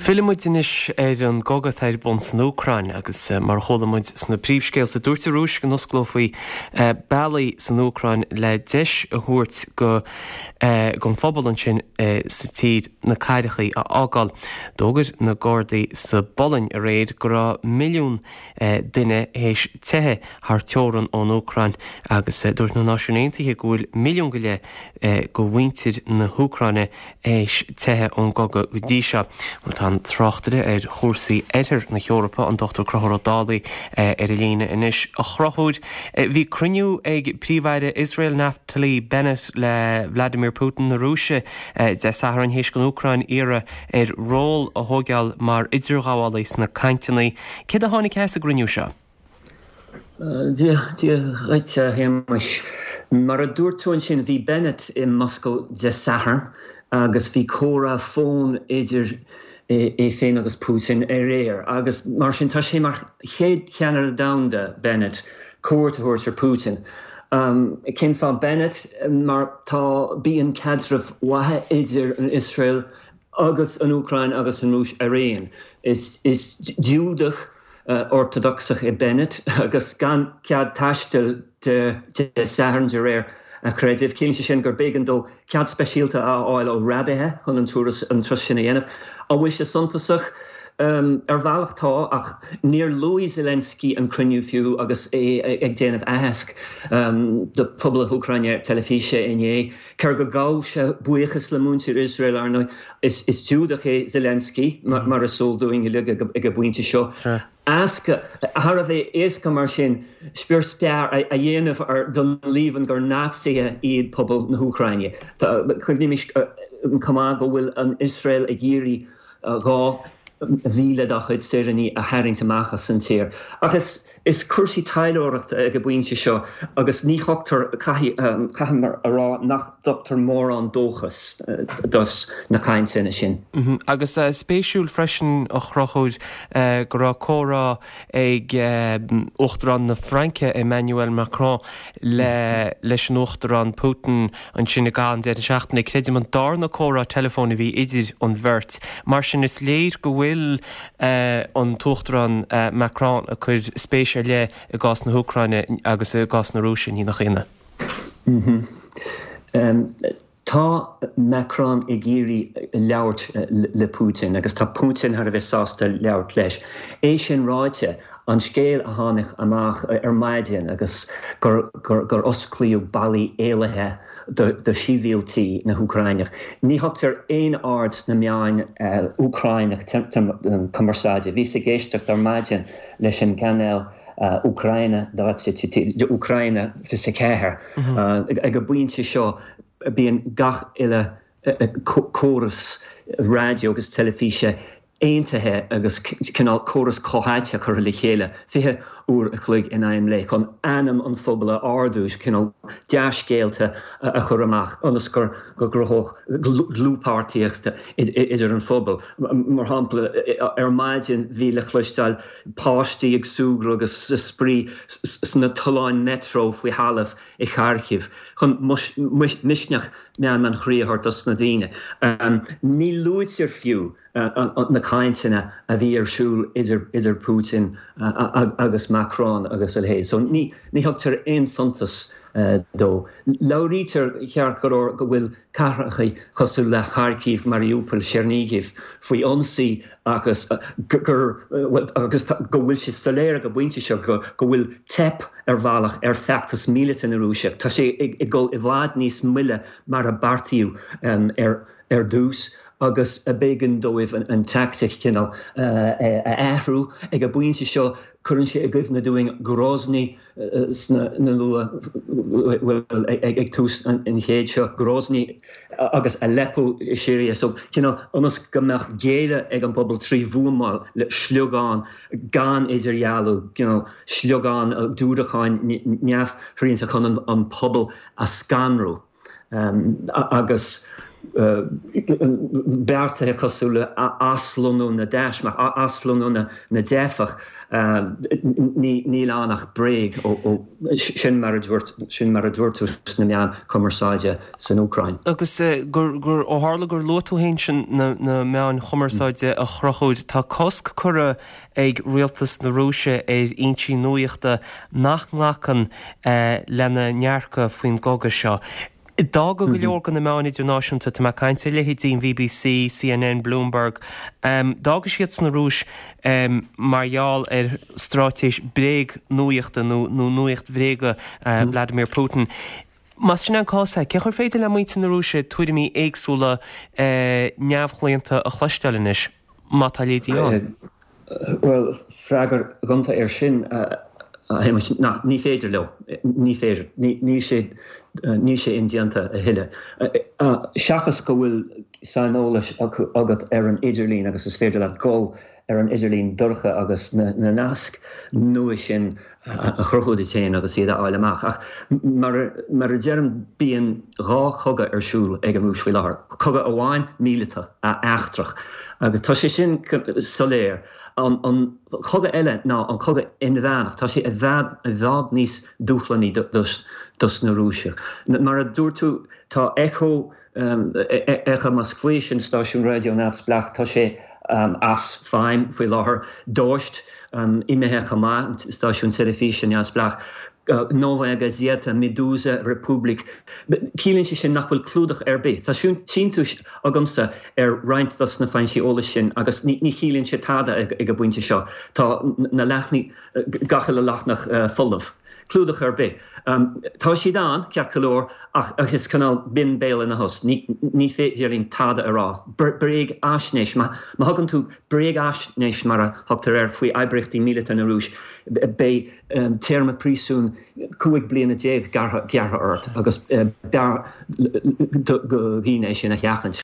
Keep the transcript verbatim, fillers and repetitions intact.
Fillfidh muid anois ar an gcogadh atá ar bun san Úcráin agus mar a chuala muid sna príomhscéalta, dúirt an Rúis go n-osclófaí bealaí san Úcráin le deis a thabhairt go don phobal ansin sa tír na cathrachaí a fhágáil. D'fhógair na Gardaí sa bPolainn aréir go raibh milliún duine théis teitheadh thar teorainn ón Úcráin agus dúirt na Náisiúin Aontaithe go bhfuil milliún go leith de mhuintir na hÚcráine théis teitheadh ón gcogadh go dtí seo. Tá an tráchtaire ar chúrsaí Oirthear na hEorpa, an Dochtúir Conchúr Ó Dálaigh, ar an líne anois. A Chonchúir, bhí cruinniú ag Príomh-Aire Iosrael Naftali Bennett le Vladimir Putin na Rúise Dé Sathairn théis don Úcráin iarraidh air ról a thógáil mar idirghabhálaí sna cainteanna. Céard a tháinig as an gcruinniú seo? Dia dhuit, a Shéamais. Mar a dúirt tú ansin, bhí Bennett i Moscó Dé Sathairn agus bhí comhrá fóin idir é féin agus Putin aréir. Agus mar sin tá sé mar chéad cheannaire domhanda, Bennett, cuairt a thabhairt ar Putin. Um, cén fáth Bennett? Mar tá bíonn caidreamh maith idir an Iosrael agus an Úcráin agus an Rúis araon. Is, is Giúdach uh, ortadocsach é Bennett agus gan cead taistil Dé Sathairn de réir a chreidimh. Ciallaíonn sé sin gur b'éigean dó cead speisialta a fháil ó raibithe chun an turas an turas sin a dhéanamh. An bhfuil sé suntasach um, ar bhealach tá, ach níor luaigh Zelensky an cruinniú fiú agus é ag déanamh aitheasc um, do phobal na hÚcráine teilifíse inné. Cé gur ghabh sé buíochas le muintir Iosrael ar ndóigh is, is Giúdach é Zelensky mar, mar is eol dúinn ag an bpointe seo. Éasca thar a bheith éasca mar sin spior spear a dhéanamh ar don líomhain gur Naitsithe iad pobal na hÚcráine. Cuimhnímis chomh maith go bhfuil an Iosrael ag iarraidh dhá mhíle dá chuid saoránaigh a tharraingt amach as an tír. Ach is is cúrsaí taidhleoireachta ag an bpointe seo agus ní thugtar caithfidh a rá nach dtugtar mórán dóchas dos na cainteanna sin. Agus spéisiúil freisin, a Chonchúir, go raibh comhrá ag Uachtarán na Fraince Emmanuel Macron le leis an Uachtarán Putin ansin i gcaitheamh an deireadh seachtaine. Creidim an darna comhrá teileafóin a bhí idir an bheirt. Mar sin is léir go bhfuil an tUachtarán Macron ag cur spéis ar leith i gcás na hÚcráine agus i gcás na Rúise, ní nach ionadh. Tá Macron ag iarraidh labhairt le Putin agus tá Putin thar a bheith sásta labhairt leis. É sin ráite, an scéal a tháinig amach ar maidin agus gur, gur, gur osclaíodh bealaí éalaithe do, do shibhialtaigh na hÚcráine. Ní thugtar aon aird sna meáin uh, Úcráineach cumarsáide. Bhíos ag éisteacht ar maidin leis an gcainéal uh, Úcráine Úcráine fiche ceathair uh, ag an bpointe seo bíonn gach uile córas raidió agus teilifíse aontaithe agus cineál córas comhtháite curtha le chéile fiche uair a chloig in aghaidh an lae chun anam an phobail a ardú, cineál dea-scéalta a chur amach ionas gur go gcruthódh dlúthpháirtíocht idir an phobal. Mar shampla, ar maidin bhí le cloisteáil páistí ag súgradh agus spraoi sna tolláin metro faoi thalamh i Kharkiv chun misneach meanma an chroí a thabhairt dos na daoine. Ní luaitear fiú na cainteanna a bhí ar siúl idir idir Putin agus Macron agus a leithéid. So ní ní thugtar aon suntas dó. Labhraítear ceart go leor go bhfuil cathracha cosúil le Kharkiv, Mariupol, Chernihiv faoi ionsaí agus gur agus go bhfuil sé soiléir ag an bpointe seo go go bhfuil teip ar bhealach ar feachtas míleata na Rúise. Tá sé ag dul i bhfad níos moille mar a beartaíodh ar ar dtús agus b'éigean dóibh an, an tactic cineál a athrú ag an bpointe seo cuireann sé i gcuimhne dúinn Grozny sna na luath ag tús an chéid seo Grozny agus Aleppo i Siria so cineál ionas go mbeadh géilleadh ag an bpobal trí bhuamáil le sliogáin gan idirdhealú cineál sliogáin diúracáin neamhshrianta chun an, an pobal a scanrú. Agus beartaithe cosúil le aslonnú na dtaismeach, aslonnú na dteifeach, níl ann ach bréag, sin mar a dúirt, sin mar a dúirt tú sna meáin chumarsáide san Úcráin. Agus gur, ó tharla gur luaigh tú féin sin na meáin chumarsáide a Chonchúir, tá cosc curtha ag rialtas na Rúise ar fhoinsí nuachta nach nglacann lena ndearcadh faoin gcogadh seo. D'fhága go leor de na meáin idirnáisiúnta, tá mé ag caint ar leithéidí an B B C, C N N, Bloomberg, d'fhága siad san Rúis mar gheall ar straitéis bréag-nuachta nó nuacht bhréige Vladimir Putin. Más sin an cás é, cén chaoi ar féidir le muintir na Rúise tuairimí éagsúla neamhchlaonta a chloisteáil anois, má tá a leithéidí ann? Bhuel, freagra gonta air sin, ná ní féidir leo, ní féidir, níl sé níl sé indéanta a thuilleadh. Seachas go bhfuil saineolas agat ar an idirlíon agus is féidir leat dul ar an idirlíon dorcha agus na naisc nua sin a chruthú duit féin agus iad a fháil amach. Ach mar mar a deirim, bíonn dhá chogadh ar siúl ag an Rúis faoi láthair. Cogadh amháin míleata eachtrach agus tá sé sin soiléir. An an cogadh eile ná an cogadh inmheánach, tá sé i bhfad i bhfad níos dúshlánaí dos dos na Rúisigh. Mar a dúirt tú, tá Echo Echo Moskvy, sin stáisiún raidió neamhspleách, tá sé as feidhm faoi láthair. Dožd imithe chomh maith, stáisiún teilifíse neamhspleách. Novaya Gazeta, Meduza, Republic. Ciallaíonn sé sin nach bhfuil clúdach ar bith. Tá síntiús agamsa ar roinnt dos na foinsí eolais sin agus ní chiallaíonn sé tada ag an bpointe seo. Tá na leathanaigh, gach uile leathanach folamh. Clúdach ar bith. Tá siad ann, ceart go leor, ach is cineál binn béal ina thost. Ní féidir linn tada a rá. Bréagaisnéis, má thugann tú bréagaisnéis mar a thugtar air faoi oibríochtaí míleata na Rúis, beidh téarma príosúin cúig bliana déag gearrtha ort agus b'fhearr do dhaoine é sin a sheachaint.